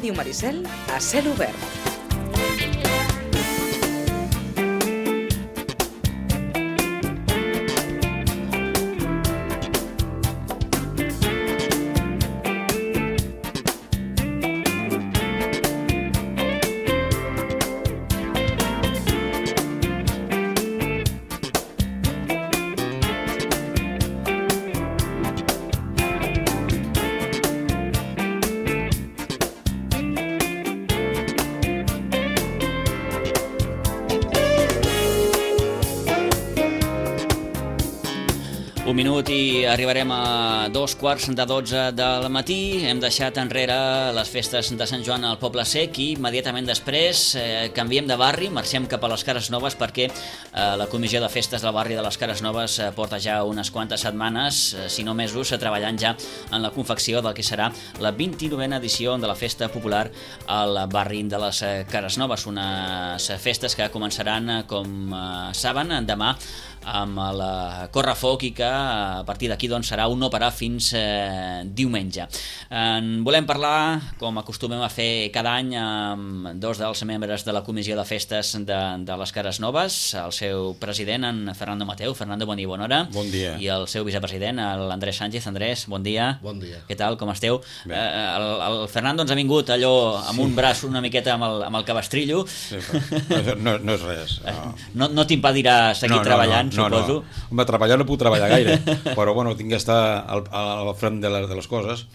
Ràdio Maricel a cel obert. Un minut i arribarem a 2:15 del matí. Hem deixat enrere les festes de Sant Joan al Poble Sec i immediatament després canviem de barri, marxem cap a les Cares Noves perquè la comissió de festes del barri de les Cares Noves porta ja unes quantes setmanes, si no mesos, treballant ja en la confecció del que serà la 29a edició de la Festa Popular al barri de les Cares Noves. Unes festes que començaran, com saben, demà amb la Correfoc i que a partir d'aquí doncs, serà un no parar fins diumenge. En volem parlar, com acostumem a fer cada any, amb dos dels membres de la comissió de festes de les Cares Noves, el seu president, en Fernando Mateu. Fernando, bon dia, bona hora. Bon dia. I el seu vicepresident, l'Andrés Sánchez. Andrés, bon dia. Bon dia. Què tal, com esteu? El Fernando ens ha vingut allò amb un braç una miqueta amb el cabastrillo. Sí, no és res. No t'impedirà seguir treballant, suposo. Home, treballar no puc treballar gaire, però bueno, tinc que estar al front de les coses,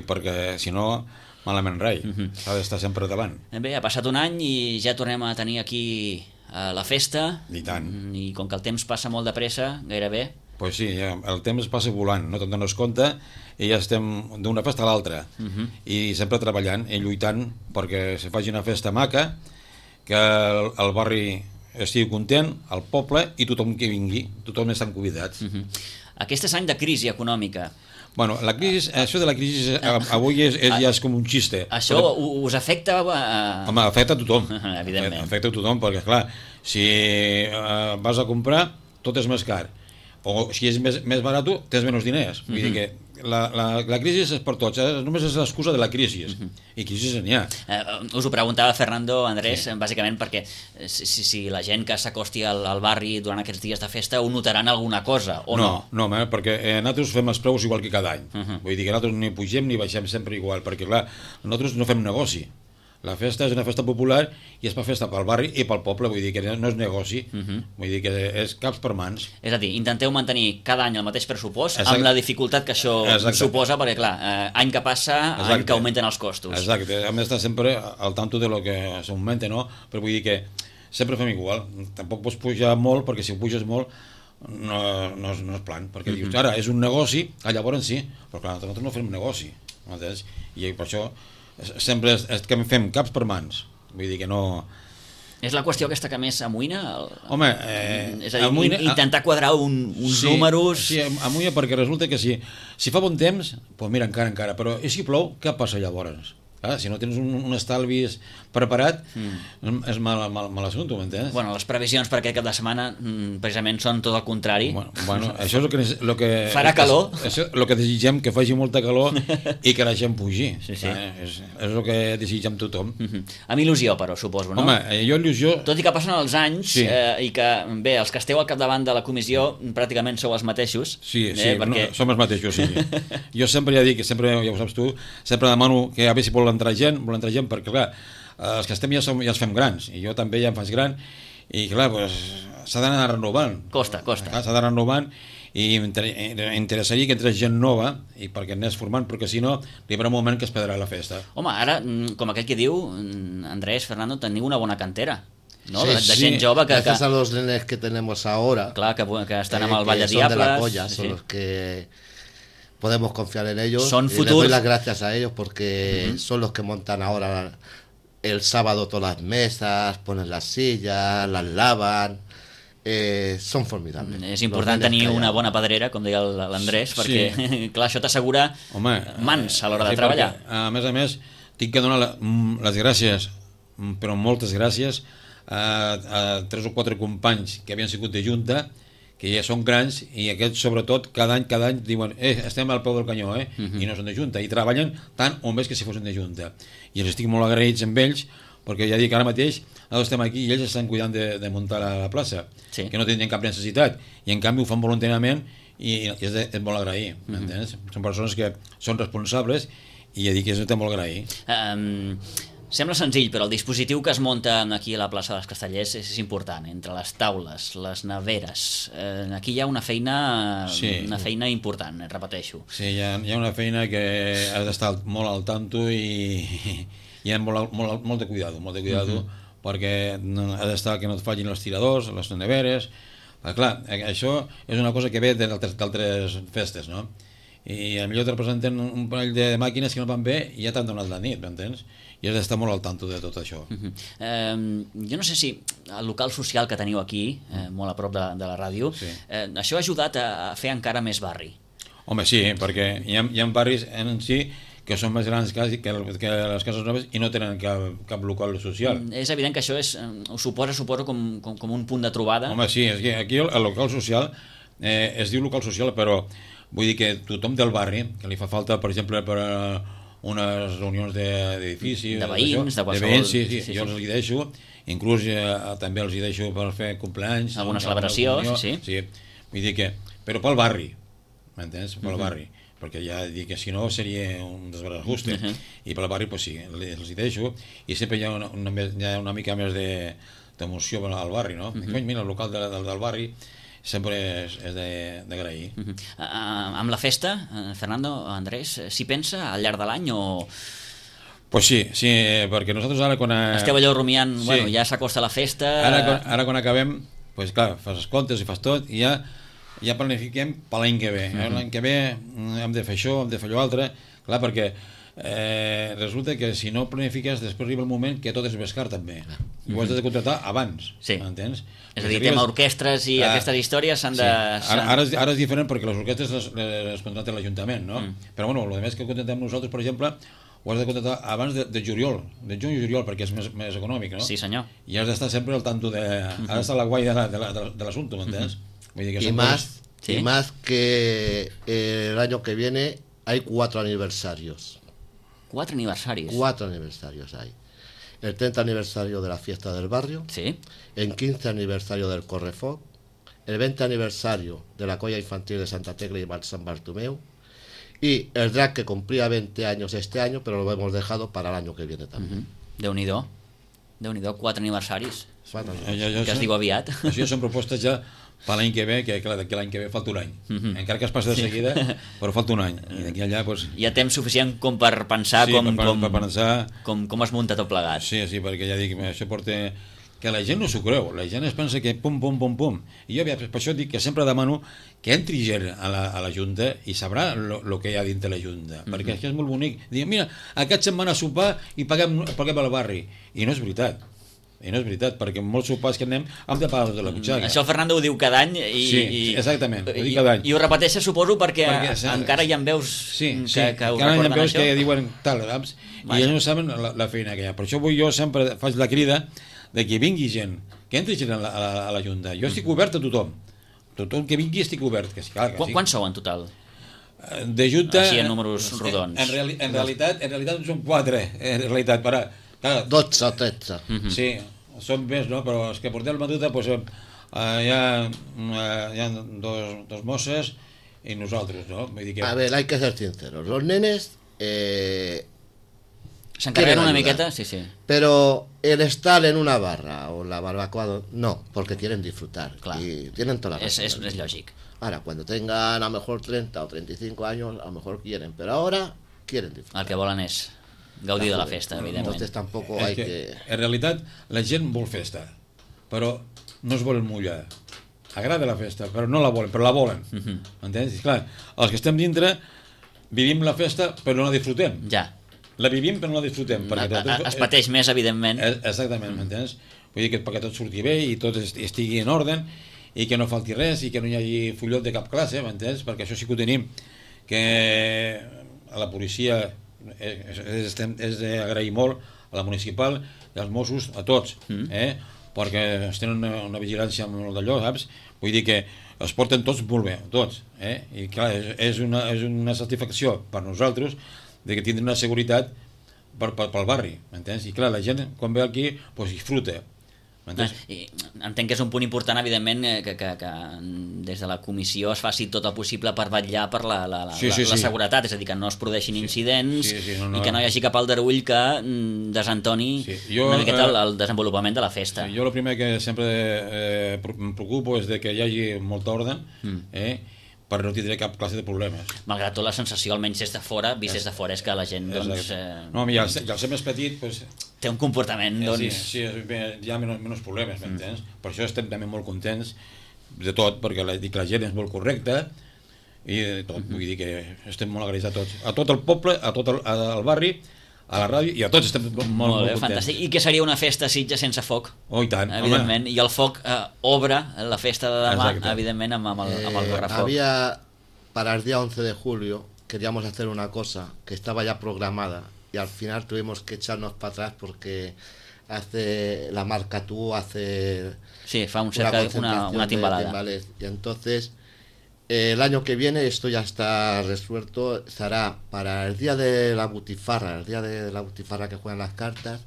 perquè si no, malament rai. S'ha d'estar sempre davant. Bé, ha passat un any i ja tornem a tenir aquí la festa. I tant. I com que el temps passa molt de pressa, gairebé. Pues sí, el temps passa volant, no te'n dones compte, i ja estem d'una festa a l'altra. I sempre treballant i lluitant perquè se faci una festa maca, que el barri estigui content, el poble i tothom que vingui, tothom estan convidats. Aquest és any de crisi econòmica. Bueno, això de la crisi avui ja és com un xiste. Això us afecta? Home, afecta a tothom. Evidentment. Afecta a tothom, perquè clar, si vas a comprar, tot és més car. O si és més barat, tens menys diners. Vull dir que la crisi és per tots, només és l'excusa de la crisi, i crisi n'hi ha. Us ho preguntava Fernando, Andrés, bàsicament perquè si la gent que s'acosti al barri durant aquests dies de festa ho notaran alguna cosa, o no? No, perquè nosaltres fem els preus igual que cada any. Vull dir que nosaltres ni pugem ni baixem sempre igual, perquè clar, nosaltres no fem negoci. La festa és una festa popular i és per festa pel barri i pel poble, vull dir que no és negoci, vull dir que és caps per mans. És a dir, intenteu mantenir cada any el mateix pressupost amb la dificultat que això suposa, perquè clar, any que passa, any que augmenten els costos. Exacte, hem d'estar sempre al tanto de lo que s'augmenta, no? Però vull dir que sempre fem igual, tampoc pots pujar molt, perquè si puges molt no és plan, perquè dius, ara és un negoci, llavors sí, però clar, nosaltres no fem negoci, i per això sempre fem caps per mans, vull dir que no... És la qüestió aquesta que més amoïna? Home, és a dir, intentar quadrar uns números... Sí, amoïna perquè resulta que si fa bon temps, doncs mira, encara, però i si plou, què passa llavors? Si no tens un estalvi preparat, és mal assumpte, m'entens? Bueno, les previsions per aquest cap de setmana precisament són tot el contrari. Bueno, això és el que farà calor. És el que desitgem, que faci molta calor i que la gent pugi. Sí. És el que desitgem tothom. Amb il·lusió, però, suposo, no? Home, jo il·lusió... Tot i que passen els anys i que, bé, els que esteu al capdavant de la comissió pràcticament sou els mateixos. Sí, som els mateixos, sí. Jo sempre ja dic, ja ho saps tu, sempre demano que a veure si vol entrar gent, perquè clar, els que estem ja els fem grans, i jo també ja em faig gran, i clar, s'ha d'anar renovant. Costa. S'ha d'anar renovant, i interessaria que entrés gent nova, i perquè anés formant, perquè si no, hi haurà un moment que es perdrà la festa. Home, ara, com aquell que diu, Andrés, Fernando, teniu una bona cantera, ¿no? De gent jove que... Gracias a los nenes que tenemos ahora, clar, que estan amb el Vall de Diables, son de la polla, son los que podemos confiar en ellos. Son y les doy las gracias a ellos porque son los que montan ahora el sábado todas las mesas, ponen las sillas, las lavan. Són formidables. És important tenir una bona pedrera, com deia l'Andrés, perquè clar, això t'assegura mans a l'hora de treballar. A més, tinc que donar les gràcies, però moltes gràcies, a 3 o 4 companys que havien sigut de junta, que ja són grans i aquests sobretot cada any diuen estem al peu del canyó i no són de Junta i treballen tant o més que si fossin de Junta i els estic molt agraïts amb ells perquè ja dic que ara mateix estem aquí i ells estan cuidant de muntar la plaça que no tenen cap necessitat i en canvi ho fan voluntàriament i és molt agrair, m'entens? Són persones que són responsables i ja dic que és molt agrair. Sembla senzill, però el dispositiu que es munta aquí a la plaça dels Castellers és important, entre les taules, les neveres. Aquí hi ha una feina important, repeteixo. Sí, hi ha una feina que has d'estar molt al tanto i hi ha molt de cuidado, perquè has d'estar que no et fallin els tiradors, les neveres. Clar, això és una cosa que ve d'altres festes, no? I potser te representen un parell de màquines que no van bé i ja t'han donat la nit, m'entens? I has d'estar molt al tanto de tot això. Jo no sé si el local social que teniu aquí, molt a prop de la ràdio, això ha ajudat a fer encara més barri. Home, sí, perquè hi ha barris en si que són més grans que les cases noves i no tenen cap local social. És evident que això ho suposo com un punt de trobada. Home, sí, és que aquí el local social es diu local social, però vull dir que tothom del barri, que li fa falta, per exemple, per unes reunions d'edificis, de veïns, de qualsevol... De veïns, sí, jo els hi deixo, inclús també els hi deixo per fer compleanys... Alguna celebració, sí. Vull dir que... Però pel barri, m'entens? Pel barri, perquè ja dic que si no seria un desbarajuste, i pel barri, doncs sí, els hi deixo, i sempre hi ha una mica més d'emoció al barri, no? Mira, el local del barri sempre és d'agrair. Amb la festa, Fernando, Andrés, s'hi pensa al llarg de l'any o...? Pues sí, perquè nosaltres ara quan... Esteu allò rumiant, bueno, ja s'acosta la festa... Ara quan acabem, pues clar, fas els comptes i fas tot i ja planifiquem per l'any que ve. L'any que ve hem de fer això, hem de fer allò altre, clar, perquè resulta que si no planifiques després arriba el moment que tot és més car també i ho has de contractar abans, m'entens? És a dir, tema orquestres i aquestes històries s'han de... Ara és diferent perquè les orquestres les contracta l'Ajuntament, no? Però bueno, el més que contractem nosaltres, per exemple, ho has de contractar abans de juliol, de juny i juliol, perquè és més econòmic, no? Sí, senyor. I has d'estar sempre al tanto has d'estar a la guai de l'assumpte, m'entens? Y más que el año que viene hay 4 aniversarios. 4 aniversaris. 4 aniversarios hay. El 30 aniversario de la fiesta del barrio, el 15 aniversario del Correfoc, el 20 aniversario de la Colla Infantil de Santa Tecla y San Bartomeu, y el drag que cumplía 20 años este año, pero lo hemos dejado para el año que viene también. Déu-n'hi-do, 4 aniversaris. Que es diu aviat. Això són propostes ja per l'any que ve, que l'any que ve falta un any. Encara que es passa de seguida, però falta un any. I d'aquí allà... Hi ha temps suficient com per pensar com es munta tot plegat. Sí, perquè ja dic, això porta... Que la gent no s'ho creu, la gent es pensa que pum. I jo per això dic que sempre demano que entri gent a la Junta i sabrà el que hi ha dintre la Junta, perquè és molt bonic. Diuen, mira, aquest se'n van a sopar i paguem al barri. I no és veritat. I no és veritat, perquè en molts sopars que anem hem de pagar de la butxaca. Això el Fernando ho diu cada any sí, exactament, ho dic cada any. I ho repeteixes, suposo, perquè encara hi ha veus que ho recorden això. Que diuen tal, i ells no saben la feina que hi ha. Per això jo sempre faig la crida de que vingui gent, que entri gent a la Junta. Jo estic obert a tothom. Tothom que vingui estic obert. Quants sou en total? De Junta... Així en números rodons. En realitat som 4, en realitat, però... 12 o 13. Sí, són més, no? Però els que portem la batuta hi ha dos mosses i nosaltres, no? A ver, hay que ser sinceros. Los nenes... ¿s'encargan una miqueta? Sí. Pero el estar en una barra o la barbacoa, no, porque quieren disfrutar. Clar. Y tienen toda la razón. Es lògic. Ahora, cuando tengan a lo mejor 30 o 35 años, a lo mejor quieren, pero ahora quieren disfrutar. El que volen és gaudir de la festa, evidentment. Entonces tampoco hay que... En realitat, la gent vol festa, però no es volen mullar. Agrada la festa, però no la volen, però la volen. Entens? Clar, els que estem dintre vivim la festa, però no la disfrutem. Ja. La vivim però no la disfrutem. Es pateix més, evidentment. Exactament, m'entens? Vull dir que perquè tot surti bé i tot estigui en ordre i que no falti res i que no hi hagi fullot de cap classe, m'entens? Perquè això sí que ho tenim, que a la policia és d'agrair molt, a la municipal i als Mossos, a tots, perquè es tenen una vigilància molt d'allò, saps? Vull dir que es porten tots molt bé, tots, i clar, és una satisfacció per nosaltres de que tindrem una seguretat pel barri, m'entens? I clar, la gent quan ve aquí doncs disfruta. I entenc que és un punt important, evidentment, que des de la comissió es faci tot el possible per vetllar per la seguretat, és a dir, que no es produeixin incidents i que no hi hagi cap aldarull que desentoni una miqueta el desenvolupament de la festa. Jo el primer que sempre em preocupo és de que hi hagi molt ordre, per no tindre cap classe de problemes. Malgrat tot, la sensació, almenys des de fora, vist des de fora, és que la gent, doncs... No, i al ser més petit, doncs... Té un comportament, doncs... Sí, hi ha menys problemes, m'entens? Per això estem també molt contents de tot, perquè la gent és molt correcta i tot, vull dir que estem molt agraïts a tots. A tot el poble, a tot el barri, a la ràdio, i a tots estem molt contents. Fantàstic. I què seria una festa a Sitges sense foc? Oh, i tant, evidentment. I el foc obre la festa de demà, evidentment, amb el correfoc. Para el día 11 de julio queríamos hacer una cosa que estaba ya programada y al final tuvimos que echarnos para atrás porque la marca Tú hace... Sí, fa una timbalada. Y entonces... el año que viene esto ya está resuelto, será para el día de la butifarra, que juegan las cartas,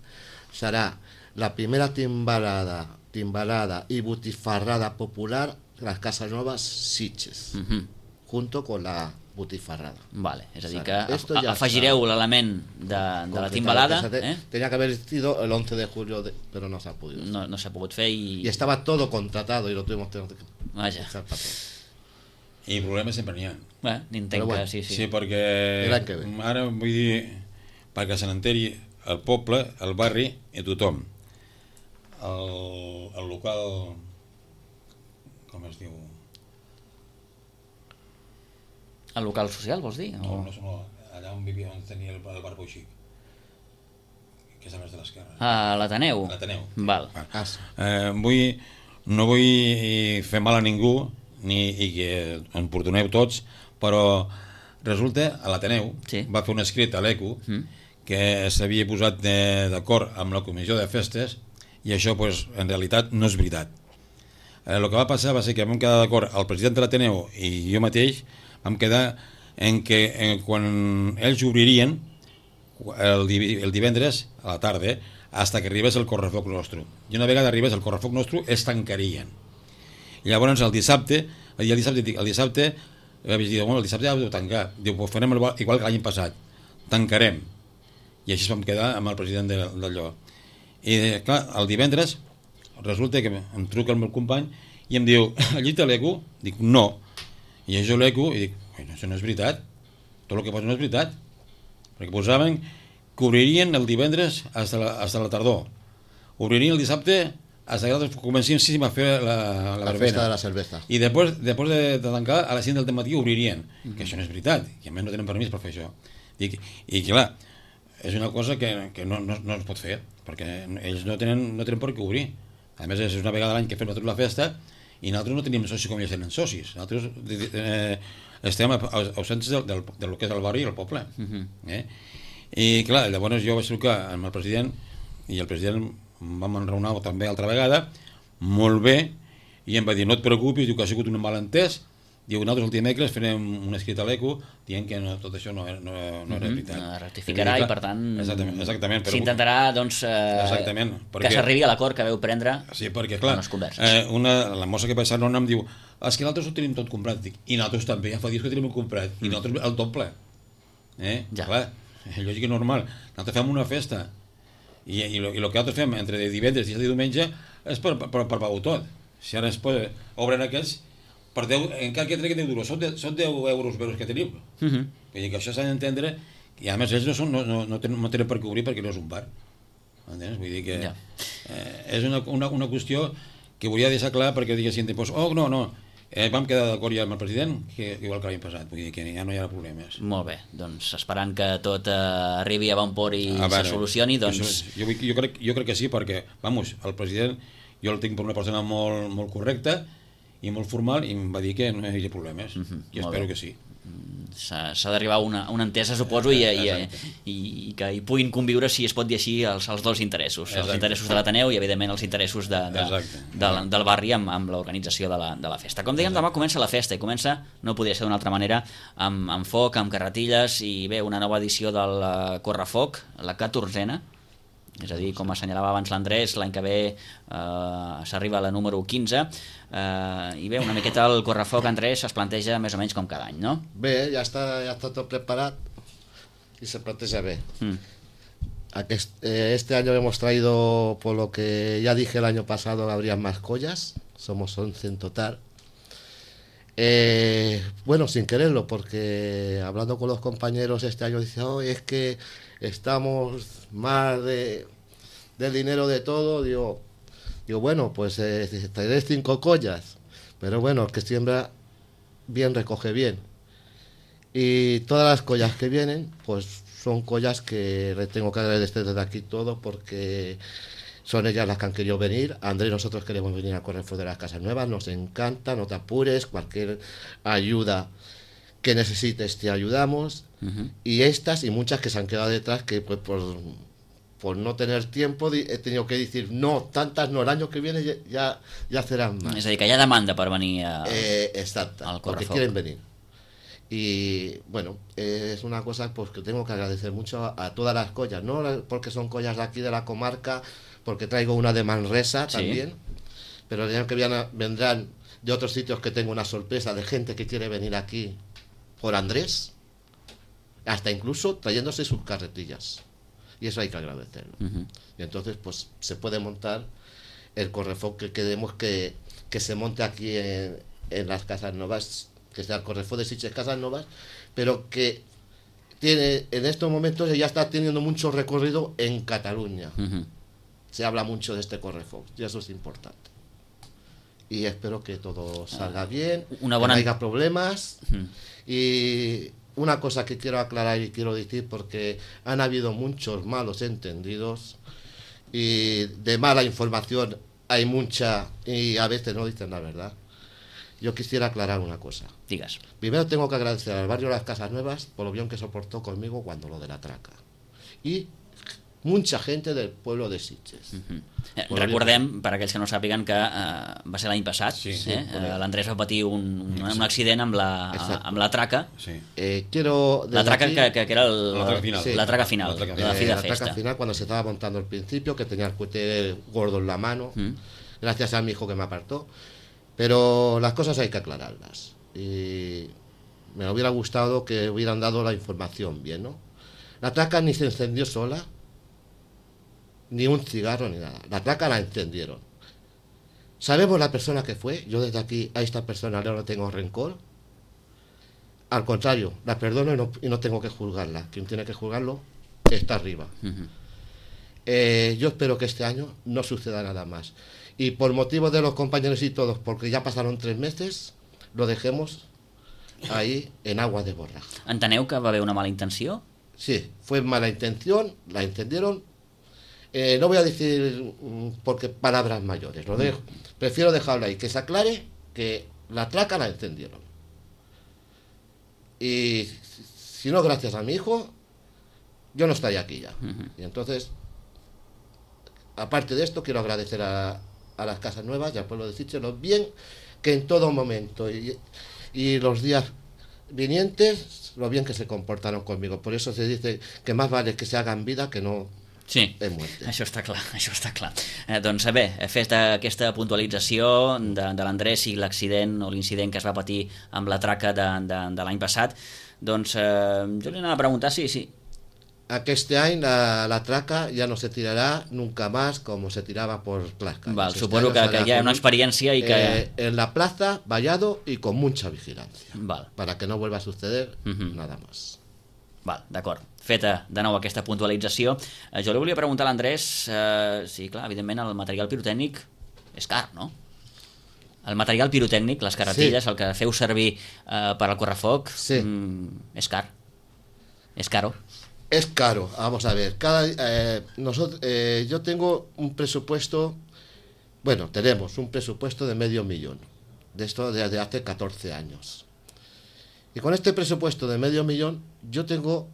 será la primera timbalada y butifarrada popular las Casas Nuevas Sitges, junto con la butifarrada. Vale, és a dir que afegireu l'element de la timbalada. Tenía que haber sido el 11 de julio, pero no se ha podido. No s'ha pogut fer y estaba todo contratado y lo tuvimos que echar para atrás. I problemes sempre n'hi ha. Entenc que sí. Sí, perquè ara vull dir, perquè se n'enteri el poble, el barri i tothom. El local, com es diu? El local social, vols dir? No, allà on vivia, on tenia el bar Boixic, que és a més de l'esquerra. L'Ateneu? L'Ateneu. Val. No vull fer mal a ningú, i que en portoneu tots, però resulta a l'Ateneu va fer un escrit a l'ECO que s'havia posat d'acord amb la comissió de festes i això en realitat no és veritat. El que va passar va ser que vam quedar d'acord el president de l'Ateneu i jo mateix vam quedar en que quan ells obririen el divendres a la tarda fins que arribés el correfoc nostre, i una vegada arribés el correfoc nostre ells tancarien. I llavors el dissabte vaig dir, el dissabte ha de tancar. Diu, pues farem igual que l'any passat, tancarem. I així vam quedar amb el president d'allò. I clar, el divendres resulta que em truca el meu company i em diu, allí té l'ECO? Dic, no. I jo l'ECO i dic, això no és veritat, tot el que posa no és veritat, perquè posaven que obririen el divendres fins a la tardor, obririen el dissabte hasta que comencíem a fer la verbena. Festa de la cervesa. I després de tancar, a les 5 del matí obririen. Que això no és veritat, i a més no tenen permís per fer això. I clar, és una cosa que no es pot fer, perquè ells no tenen per què obrir. A més, és una vegada a l'any que fem la festa, i nosaltres no tenim socis com ells tenen socis. Nosaltres estem ausents del que és el barri i el poble. I clar, llavors jo vaig trucar amb el president, i el president vam enraonar també altra vegada, molt bé, i em va dir, no et preocupis, diu que ha sigut un malentès, diu, nosaltres el dimecres farem un escrit a l'ECO dient que tot això no era veritat. Rectificarà i per tant s'intentarà que s'arribi a l'acord que veu prendre. Sí, perquè clar, la mossa que va ser em diu, és que nosaltres ho tenim tot comprat, i nosaltres també, ja fa dies que tenim comprat, i nosaltres el doble. Clar, lògic i normal, nosaltres fem una festa i el que nosaltres fem entre divendres, dissabte i diumenge és per pagar tot. Si ara obren aquests per 10, encara que tregui 10 euros, són 10 euros que tenim. Vull dir que això s'ha d'entendre, i a més ells no tenen per què obrir perquè no és un bar. Entens? Vull dir que és una qüestió que volia deixar clar perquè diguessin, vam quedar d'acord ja amb el president, igual que l'any passat, vull dir que ja no hi ha problemes. Molt bé, doncs esperant que tot arribi a bon port i se solucioni, doncs... Jo crec que sí, perquè, el president jo el tinc per una persona molt correcta i molt formal, i em va dir que no hi hauria problemes, i espero que sí. s'ha d'arribar a una entesa, suposo, i que hi puguin conviure, si es pot dir així, els dos interessos. Els interessos de l'Ateneu i, evidentment, els interessos del barri amb l'organització de la festa. Com dèiem, demà comença la festa, i comença, no podria ser d'una altra manera, amb foc, amb carretilles, i bé, una nova edició del Correfoc, la 14a. És a dir, com assenyalava abans l'Andrés, l'any que ve s'arriba a la número 15, i bé, una miqueta el Correfoc, Andrés, es planteja més o menys com cada any, no? Bé, ja està tot preparat y se plantea bien. Este año hemos traído, por lo que ya dije el año pasado, habría más collas, somos 11 en total. Bueno, sin quererlo, porque hablando con los compañeros este año dice, es que estamos más del dinero de todo. Digo bueno, pues traeré 5 collas, pero bueno, el que siembra bien recoge bien. Y todas las collas que vienen, pues son collas que le tengo que agradecer desde aquí todo, porque son ellas las que han querido venir. Andrés y nosotros queremos venir al Correfoc de las Casas Nuevas, nos encanta, no te apures, cualquier ayuda que necesites te ayudamos. Y estas y muchas que se han quedado detrás, que pues por no tener tiempo he tenido que decir no, tantas no, el año que viene ya serán más. És a dir, que hi ha demanda per venir exacto, al porque Correfoc. quieren venir. Y bueno, es una cosa pues que tengo que agradecer mucho a todas las collas, no porque son collas de aquí de la comarca, porque traigo una de Manresa también, pero el año que viene vendrán de otros sitios, que tengo una sorpresa de gente que quiere venir aquí por Andrés, hasta incluso trayéndose sus carretillas, y eso hay que agradecerlo. Y entonces pues se puede montar el Correfoc que queremos que se monte aquí en las Casas Nuevas, que sea el Correfoc de Sitges Casas Nuevas, pero que tiene en estos momentos ya está teniendo mucho recorrido en Cataluña. Se habla mucho de este Correfoc y eso es importante. Y espero que todo salga bien, que no haya problemas. Y una cosa que quiero aclarar y quiero decir, porque han habido muchos malos entendidos y de mala información hay mucha, y a veces no dicen la verdad. Yo quisiera aclarar una cosa. Digues. Primero tengo que agradecer al barrio Las Casas Nuevas por lo bien que soportó conmigo cuando lo de la traca. Y mucha gente del pueblo de Sitges. Recordem, per aquells que no sàpiguen, que va ser l'any passat. L'Andrés va patir un accident amb la traca. La traca que era la traca final, la fi de festa. La traca final, cuando se estaba montando al principio, que tenía el cohete gordo en la mano, gracias a mi hijo que me apartó. Pero las cosas hay que aclararlas. Y me hubiera gustado que hubieran dado la información bien, ¿no? La traca ni se encendió sola, ni un cigarro, ni nada. La traca la encendieron. ¿Sabemos la persona que fue? Yo desde aquí a esta persona no tengo rencor. Al contrario, la perdono y no tengo que juzgarla. Quien tiene que juzgarlo está arriba. Yo espero que este año no suceda nada más. Y por motivo de los compañeros y todos, porque ya pasaron 3 meses, lo dejemos ahí en agua de borraja. Enteneu que va haver una mala intenció? Sí, fue mala intención, la entendieron. No voy a decir porque palabras mayores, lo dejo. Prefiero dejarlo ahí, que se aclare que la traca la encendieron. Y si no, gracias a mi hijo, yo no estaría aquí ya. Y entonces, aparte de esto, quiero agradecer a las Casas Nuevas y al pueblo de Sitges lo bien que en todo momento y los días vinientes, lo bien que se comportaron conmigo. Por eso se dice que más vale que se hagan vida que no en muerte. Això està clar. Doncs bé, feta aquesta puntualització de l'Andrés i l'accident o l'incident que es va patir amb la traca de l'any passat, doncs jo li anava a preguntar si... A que este año la traca ya no se tirará nunca más como se tiraba por las calles. Supongo que ya hay una experiencia y que... en la plaza, vallado y con mucha vigilancia. Para que no vuelva a suceder nada más. D'acord. Feta de nou aquesta puntualització. Jo li volia preguntar a l'Andrés si, clar, evidentment el material pirotècnic és car, no? El material pirotècnic, les carretilles, el que feu servir per al Correfoc, és car. És caro. Es caro, vamos a ver. Yo tengo un presupuesto, tenemos un presupuesto de $500,000, de esto desde hace 14 años. Y con este presupuesto de $500,000, yo tengo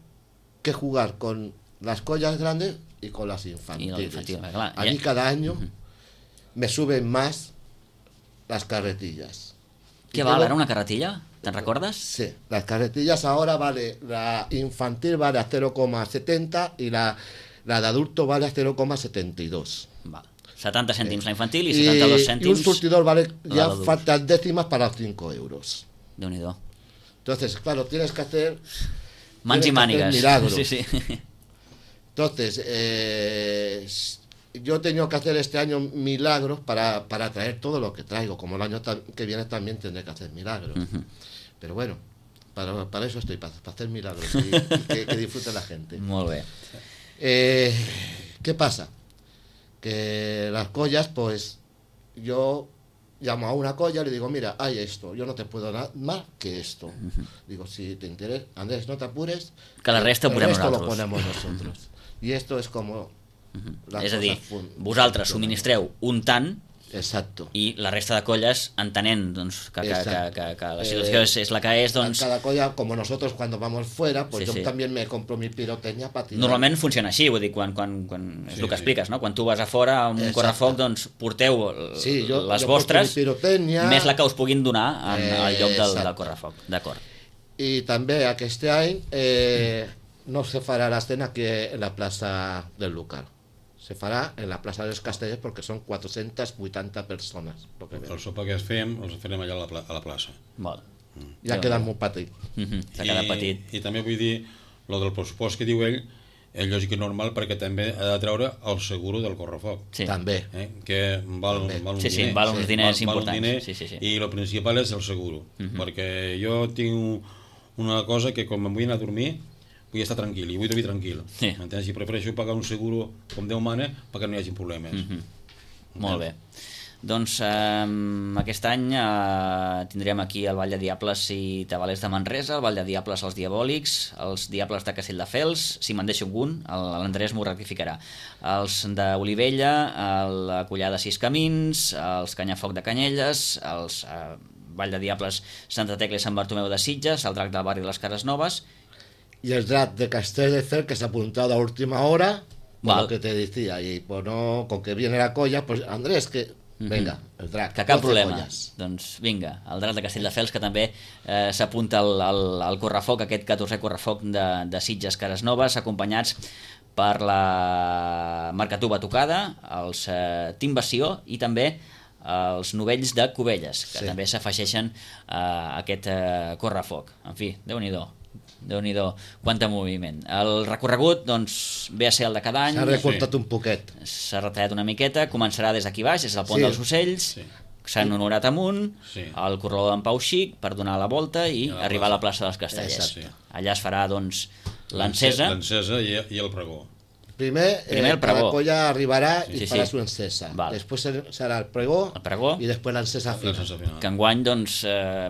que jugar con las collas grandes y con las infantiles. A mí cada año me suben más las carretillas. ¿Qué vale ara una carretilla? ¿Te'n recordes? Sí, las carretillas ahora vale, la infantil vale a 0,70 y la de adulto vale a 0,72. Vale. 70 cèntims la infantil y 72 cèntims... Y un surtidor vale, ya faltan décimas para los 5 euros. Déu-n'hi-do. Entonces, claro, tienes que hacer... Mans y mánigas. Milagros. Sí, sí. Entonces, yo he tenido que hacer este año milagros para traer todo lo que traigo. Como el año que viene también tendré que hacer milagros. Pero bueno, para eso estoy, para hacer milagros y que disfrute la gente. Molt bé. ¿Qué pasa? Que las collas, pues yo llamo a una colla y le digo, mira, hay esto, yo no te puedo dar más que esto. Digo, si te interesa, Andrés, no te apures, que la resta el resto lo ponemos nosotros. I esto es como... És a dir, vosaltres subministreu un tant. Exacto. I la resta de colles, entenent doncs, que la situació és la que és, doncs... Cada colla, como nosotros cuando vamos fuera, pues yo también me compro mi pirotecnia para tirar. Normalment funciona així, vull dir, quan és el que expliques, no? Quan tu vas a fora amb un correfoc, doncs porteu les vostres, més la que us puguin donar al lloc del correfoc. D'acord. I també aquest any no se farà l'escena aquí en la plaça del local. Se farà en la plaça dels Castellers perquè són 480 persones. El sopar que fem els farem allà a la plaça. Ja queda molt petit. S'ha quedat petit. I també vull dir, el del pressupost que diu ell, és lògic i normal perquè també ha de treure el seguro del correfoc. També. Que val un diner. Sí, val uns diners importants. I el principal és el seguro. Perquè jo tinc una cosa que quan em vull anar a dormir vull estar tranquil i vull dormir tranquil. M'entens? I prefereixo pagar un seguro com Déu mana perquè no hi hagi problemes. Molt bé. Doncs aquest any tindrem aquí el Vall de Diables i Tabalers de Manresa, el Vall de Diables els Diabòlics, els Diables de Castelldefels, si me'n deixo algun, l'Andrés m'ho rectificarà, els d'Olivella, la Collada de Sis Camins, els Canyafoc de Canyelles, els Vall de Diables, Santa Tecla i Sant Bartomeu de Sitges, el Drac del Barri de les Cases Noves, y el draft de Castelldefels que se ha apuntado a última hora, lo que te decía, y pues no, con que viene la colla, pues Andrés, que venga, el draft. Que cap problema. Doncs vinga, el draft de Castelldefels, que també s'apunta al correfoc, aquest 14è correfoc de Sitges Cases Noves, acompanyats per la Marcatuba Tocada, els Timbació i també els Novells de Cubelles, que també s'afegeixen a aquest correfoc. En fi, Déu-n'hi-do, quanta moviment. El recorregut, doncs, ve a ser el de cada any. S'ha recortat un poquet. S'ha retallat una miqueta, començarà des d'aquí baix, és el pont dels Ocells, s'han honorat amunt, el corredor d'en Pau Xic per donar la volta i arribar a la plaça dels Castellers. Allà es farà, doncs, l'encesa. L'encesa i el pregó. Primer el pregó. La colla arribarà i farà su encesa. Després serà el pregó i després l'encesa final. Que enguany, doncs,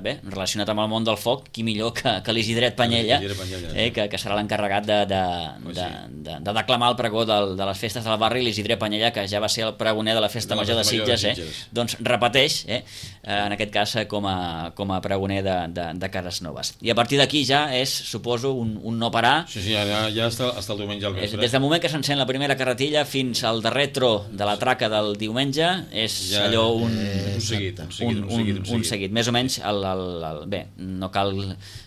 bé, relacionat amb el món del foc, qui millor que l'Isidret Panyella, que serà l'encarregat de declamar el pregó de les festes del barri. L'Isidret Panyella, que ja va ser el pregoner de la festa major de Sitges, doncs repeteix, en aquest cas, com a pregoner de Cases Noves. I a partir d'aquí ja és, suposo, un no parar. Sí, ja està el diumenge al vespre. Des del moment que s'encén la primera carretilla fins al darrer tro de la traca del diumenge és allò un seguit. Més o menys, bé, no cal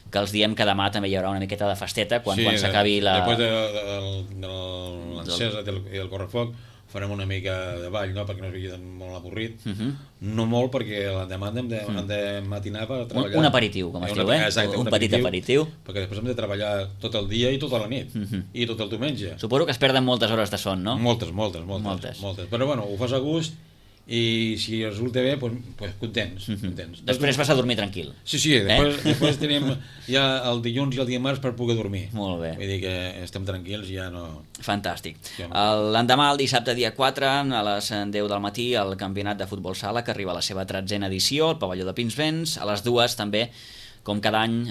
que els diem que demà també hi haurà una miqueta de festeta quan s'acabi la... Després de l'encesa i el correfoc farem una mica de ball, no? Perquè no es vegi molt avorrit. No molt, perquè l'endemà hem de matinar per treballar. Un aperitiu, com es diu, un petit aperitiu. Perquè després hem de treballar tot el dia i tota la nit, i tot el diumenge. Suposo que es perden moltes hores de son, no? Moltes. Però bueno, ho fas a gust, i si resulta bé, doncs contents. Després vas a dormir tranquil. Sí, després tenim ja el dilluns i el dimarts per poder dormir. Molt bé. Vull dir que estem tranquils i ja no... Fantàstic. L'endemà, el dissabte dia 4, a les 10 del matí, el campionat de futbol sala, que arriba a la seva 13a edició, el pavelló de Pinsbens. A les 2 també, com cada any,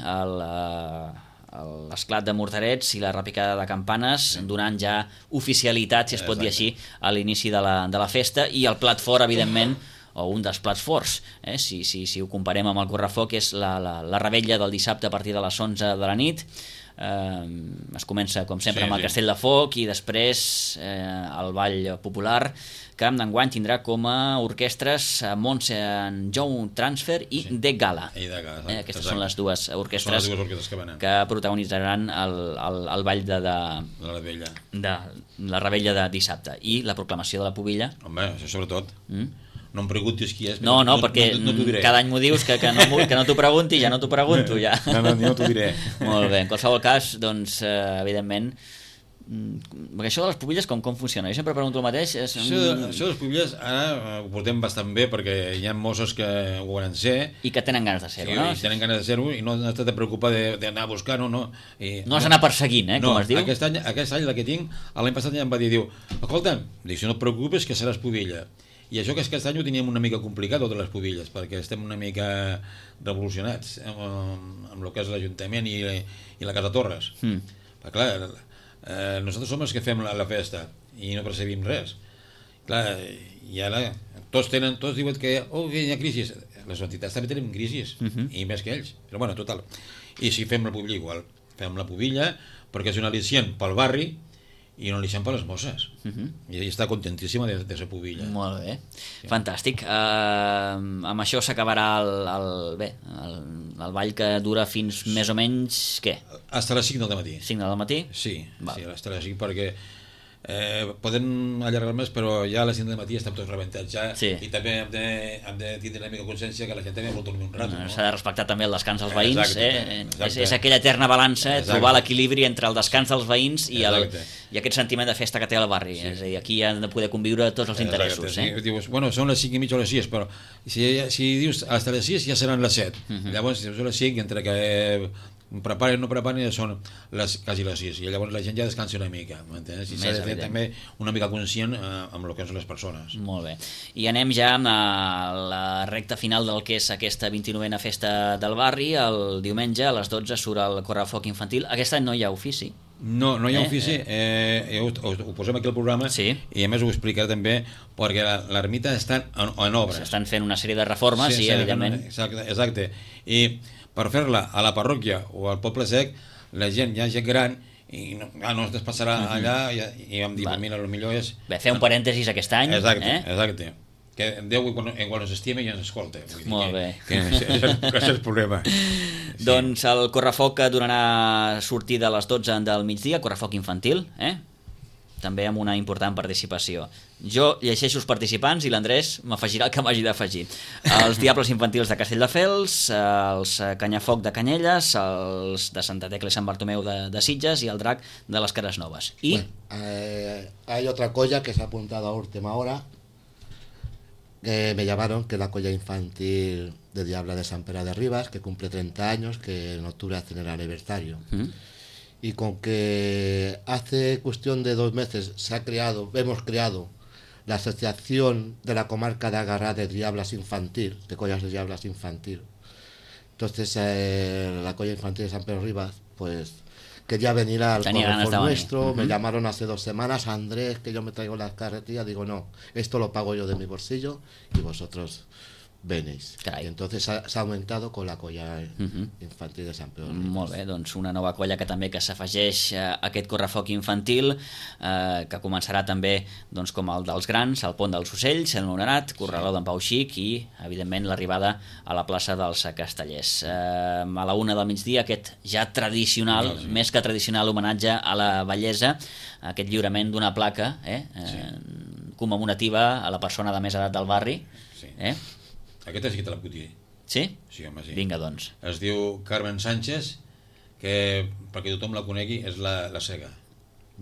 l'esclat de morterets i la repicada de campanes, donant ja oficialitat, si es pot dir així, a l'inici de la festa, i el plat fort, evidentment, o un dels plats forts. Si ho comparem amb el correfoc, és la revetlla del dissabte a partir de les 11 de la nit. Es comença com sempre amb el Castell de Foc i després el ball popular, que d'enguany tindrà com a orquestres Montse Jou Transfer i The Gala. Aquestes són les dues orquestres que protagonitzaran el ball de la revetlla de dissabte i la proclamació de la pubilla. Home, això sobretot. No em preguntis qui és. No, perquè cada any m'ho dius que no t'ho pregunti, ja no t'ho pregunto. Ja. No t'ho diré. Molt bé, en qualsevol cas, doncs, evidentment, perquè això de les pubilles com funciona? Jo sempre pregunto el mateix. Això de les pubilles ara ho portem bastant bé perquè hi ha mossos que ho volen ser i que tenen ganes de ser-ho, no? I tenen ganes de ser-ho i no has de preocupar d'anar a buscar, no. No has d'anar perseguint, com es diu? Aquest any la que tinc, l'any passat ja em va dir, escolta, si no et preocupes que seràs pubilla. I això que aquest any ho teníem una mica complicat, totes les pubilles, perquè estem una mica revolucionats amb el que és l'Ajuntament i la Casa Torres. Perquè clar, nosaltres som els que fem la festa i no percebim res. Clar, i ara tots diuen que hi ha crisi. Les entitats també tenen crisis, i més que ells. Però bueno, total. I si fem la pubilla igual, fem la pubilla perquè és un al·licient pel barri i no li sent per les mosses. I està contentíssima de ser pubilla. Molt bé, fantàstic. Amb això s'acabarà el ball, que dura fins més o menys, què? Fins a les 5 del matí. 5 del matí? Sí, fins a les 5, perquè podem allargar més, però ja a les 5 del matí estem tots rebentats ja, i també hem de tindre una mica consciència que la gent també vol dormir un rato. S'ha de respectar també el descans dels veïns. És aquella eterna balança, trobar l'equilibri entre el descans dels veïns i aquest sentiment de festa que té el barri. És a dir, aquí han de poder conviure tots els interessos. Dius, bueno, són les 5 i mitja o les 6, però si dius fins a les 6 ja seran les 7. Llavors, si són les 5, entre que preparen o no preparen, ja són quasi les 6, i llavors la gent ja descansa una mica, m'entens? I s'ha de fer també una mica conscient amb el que són les persones. Molt bé, i anem ja a la recta final del que és aquesta 29a festa del barri. El diumenge a les 12 surt el correfoc infantil. Aquest any no hi ha ofici. No hi ha ofici, ho posem aquí al programa, i a més ho explicaré també perquè l'ermita està en obres. S'estan fent una sèrie de reformes, evidentment. Exacte, i per fer-la a la parròquia o al Poble Sec, la gent, hi ha gent gran i no es despassarà allà, i vam dir, mira, el millor és... Bé, fer un parèntesis aquest any. Exacte. Que Déu quan ens estima i ens escolta. Molt bé. Que és el problema. Doncs el correfoc que donarà sortida a les 12 del migdia, correfoc infantil, també amb una important participació. Jo llegeixo els participants i l'Andrés m'afegirà el que m'hagi d'afegir. Els Diables Infantils de Castelldefels, els Canyafoc de Canyelles, els de Santa Tecla i Sant Bartomeu de Sitges i el Drac de les Caras Noves. Y hay otra colla que se ha apuntado a última hora, que me llamaron, que es la colla infantil de Diabla de San Pera de Ribas, que cumple 30 años, que en octubre hace el aniversario. Y con que hace cuestión de 2 meses hemos creado la Asociación de la Comarca de Agarrá de Diablas Infantil, de collas de Diablas Infantil. Entonces la colla infantil de San Pedro Rivas, pues quería venir al correfoc nuestro. Me llamaron hace 2 semanas, Andrés, que yo me traigo las carretillas. Digo, no, esto lo pago yo de mi bolsillo y vosotros venís. I entonces s'ha aumentat con la colla infantil de Sant Pere. Molt bé, doncs una nova colla que també s'afegeix a aquest correfoc infantil, que començarà també com el dels grans, al Pont dels Ocells, el Honorat, Corraló d'en Pau Xic i, evidentment, l'arribada a la plaça dels Castellers. A la 1 del migdia, aquest ja tradicional, més que tradicional, homenatge a la bellesa, aquest lliurament d'una placa commemorativa a la persona de més edat del barri. Aquesta sí que te la puc dir. Sí? Sí, home, sí. Vinga, doncs. Es diu Carmen Sánchez, que perquè tothom la conegui és la cega.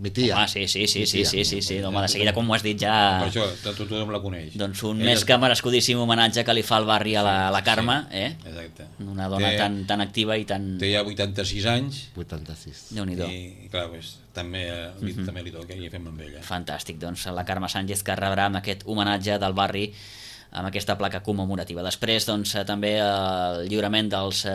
Mi tia. Ah, sí. Home, de seguida, com ho has dit, ja... Per això, tothom la coneix. Doncs un més que merescudíssim homenatge que li fa el barri a la Carme, Exacte. Una dona tan activa i tan... Té ja 86 anys. 86. Déu-n'hi-do. I, clar, també li toca i fem amb ella. Fantàstic, doncs la Carme Sánchez, que rebrà amb aquest homenatge del barri amb aquesta placa commemorativa. Després, doncs, també el lliurament dels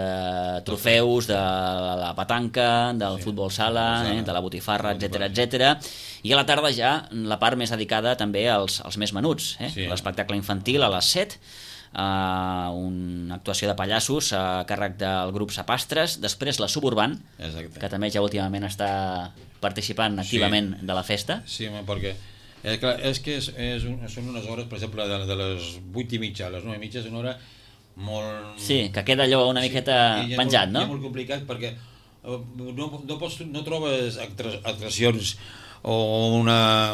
trofeus de la petanca, del futbol sala, de la botifarra, etc. I a la tarda ja la part més dedicada també als més menuts, l'espectacle infantil a les 7, una actuació de pallassos a càrrec del grup Sapastres, després la Suburban, que també ja últimament està participant activament de la festa. Sí, perquè és que són unes hores, per exemple, de les 8:30 a les 9:30, és una hora molt... Sí, que queda allò una miqueta penjat, no? És molt complicat perquè no trobes atraccions o una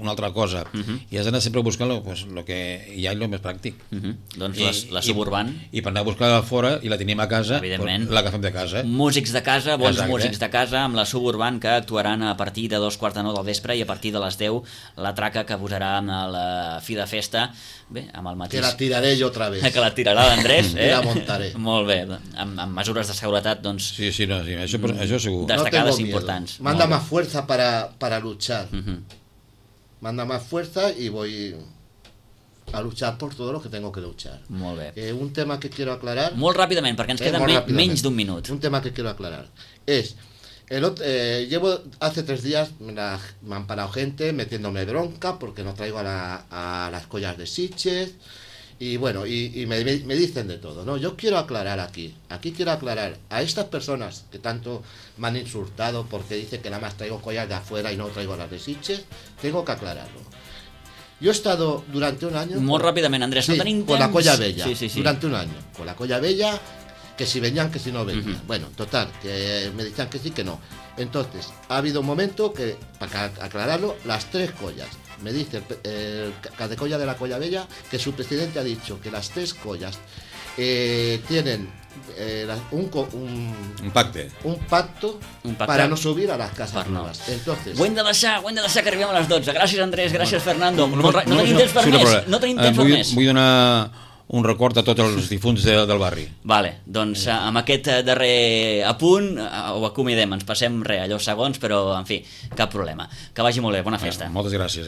altra cosa, i has d'anar sempre buscant el que hi ha i el més pràctic. Doncs la Suburban, i per anar a buscar fora i la tenim a casa, l'agafem de casa. Músics de casa, bons músics de casa, amb la Suburban, que actuaran a partir de 2:45 del vespre, i a partir de les 10 la traca que posarà a la fi de festa, bé, amb el mateix... Que la tiraré jo otra vez. Que la tirarà l'Andrés, I la muntaré. Molt bé, amb mesures de seguretat, doncs... Sí, això segur. Destacades importants. Manda más fuerza para luchar. Manda más fuerza y voy a luchar por todo lo que tengo que luchar. Molt bé. Un tema que quiero aclarar... Molt ràpidament, perquè ens queda menys d'un minut. Un tema que quiero aclarar es... llevo hace 3 días, me han parado gente metiéndome bronca porque no traigo a las collas de Sitges, y bueno, y me dicen de todo, ¿no? Yo quiero aclarar aquí quiero aclarar a estas personas que tanto me han insultado porque dicen que nada más traigo collas de afuera y no traigo las de Sitges. Tengo que aclararlo. Yo he estado durante un año... Molt ràpidament, Andrés, no tenim temps. Con la Colla Bella, sí. durante un año, con la Colla Bella, que si venían, que si no venían. Bueno, total, que me decían que sí, que no. Entonces, ha habido un momento que, para aclararlo, las 3 collas. Me dice el cadecolla de la Colla Bella que su presidente ha dicho que las 3 collas tienen un pacto para no subir a las casas nuevas. Entonces, ho hem de deixar que arribem a les 12. Gràcies, Andrés, gràcies, Fernando. No tenim temps per més. No tenim temps per més. Vull donar un record a tots els difunts del barri. Vale, doncs amb aquest darrer apunt ho acomidem, ens passem allò segons, però en fi, cap problema. Que vagi molt bé, bona festa. Moltes gràcies,